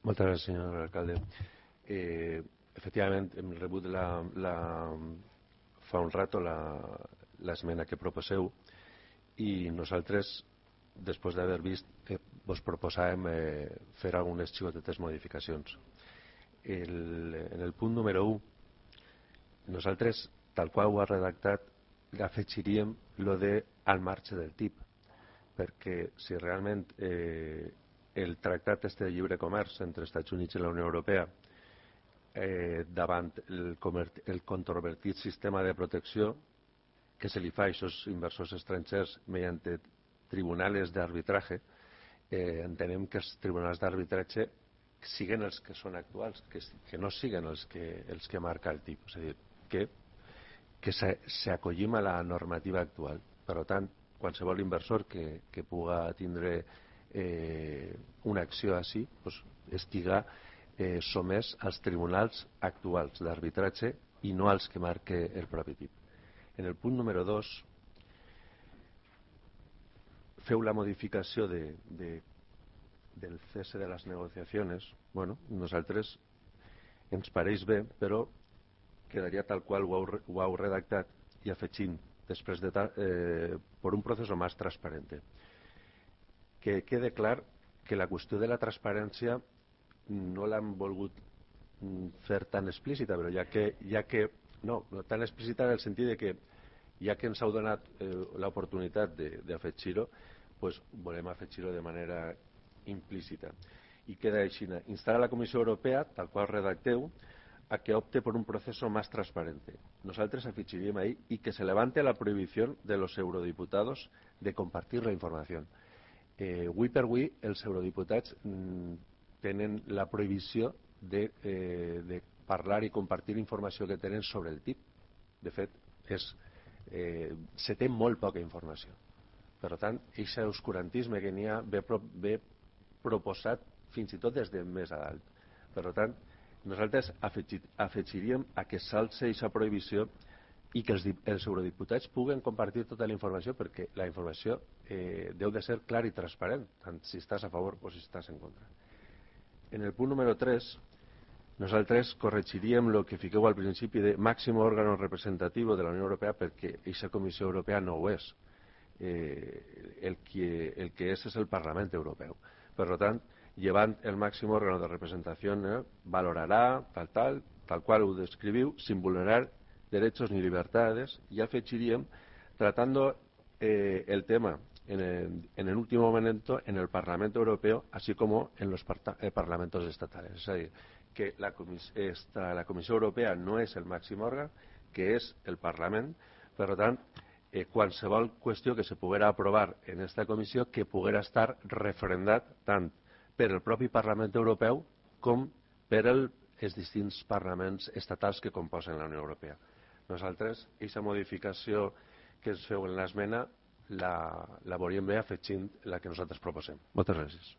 Moltes gràcies, senyor alcalde. Efectivament, hem rebut fa un rato l'esmena que proposeu i nosaltres, després d'haver vist, vos proposàvem fer algunes xicotetes modificacions. En el punt número 1, nosaltres, tal qual ho ha redactat, afegiríem lo de al marge del TIP, perquè si realment el tractat este de lliure comerç entre els Estats Units i la Unió Europea davant el controvertit sistema de protecció que se li fa a aquests inversors estrangers mediante tribunals d'arbitratge, entenem que els tribunals d'arbitratge siguen els que són actuals, que no siguen els que marca el TIP, és a dir, que s'acollim a la normativa actual. Per tant, qualsevol inversor que puga tindre una acció així estiga somès als tribunals actuals d'arbitratge i no als que marca el propi TIP. En el punt número 2 feu la modificació del cese de les negociacions. Bueno, nosaltres ens pareix bé, però quedaria tal qual ho heu redactat i afegint després per un procés més transparent. Que quede clar que la qüestió de la transparència no l'han volgut fer tan explícita, però no tan explícita en el sentit de que ja que ens heu donat l'oportunitat d'afegir-ho, volem afegir-ho de manera implícita. I queda així: instar a la Comissió Europea, tal qual redacteu, a que opte por un proceso más transparente. Nosotros afegiríem ahí y que se levante la prohibición de los eurodiputados de compartir la información. Avui per avui els eurodiputats tenen la prohibició de parlar i compartir informació que tenen sobre el TIP. De fet, se té molt poca informació. Per tant, aquest oscurantisme que n'hi ha ve proposat fins i tot des de més a dalt. Per tant, nosaltres afegiríem a que s'alça aquesta prohibició i que els eurodiputats puguen compartir tota la informació, perquè la informació deu de ser clara i transparent, tant si estàs a favor o si estàs en contra. En el punt número 3, nosaltres corregiríem el que fiqueu al principi de màxim òrgan representatiu de la Unió Europea, perquè aquesta Comissió Europea no ho és. El que és el Parlament Europeu. Per tant, llevant el màxim òrgan de representació, valorarà, tal qual ho descriviu, sin vulnerar derechos ni libertades, y afegiríem tratando el tema en el último momento en el Parlamento Europeo, así como en los parlamentos estatales. Es decir, que la Comissió Europea no és el màxim òrgan, que és el Parlament. Per tant, qualsevol qüestió que se poguera aprovar en aquesta comissió que poguera estar referendat tant per el propi Parlament Europeu com per els distints parlaments estatals que composen la Unió Europea. Nosaltres, aquesta modificació que ens feu en l'esmena la veuríem bé afegint la que nosaltres proposem. Moltes gràcies.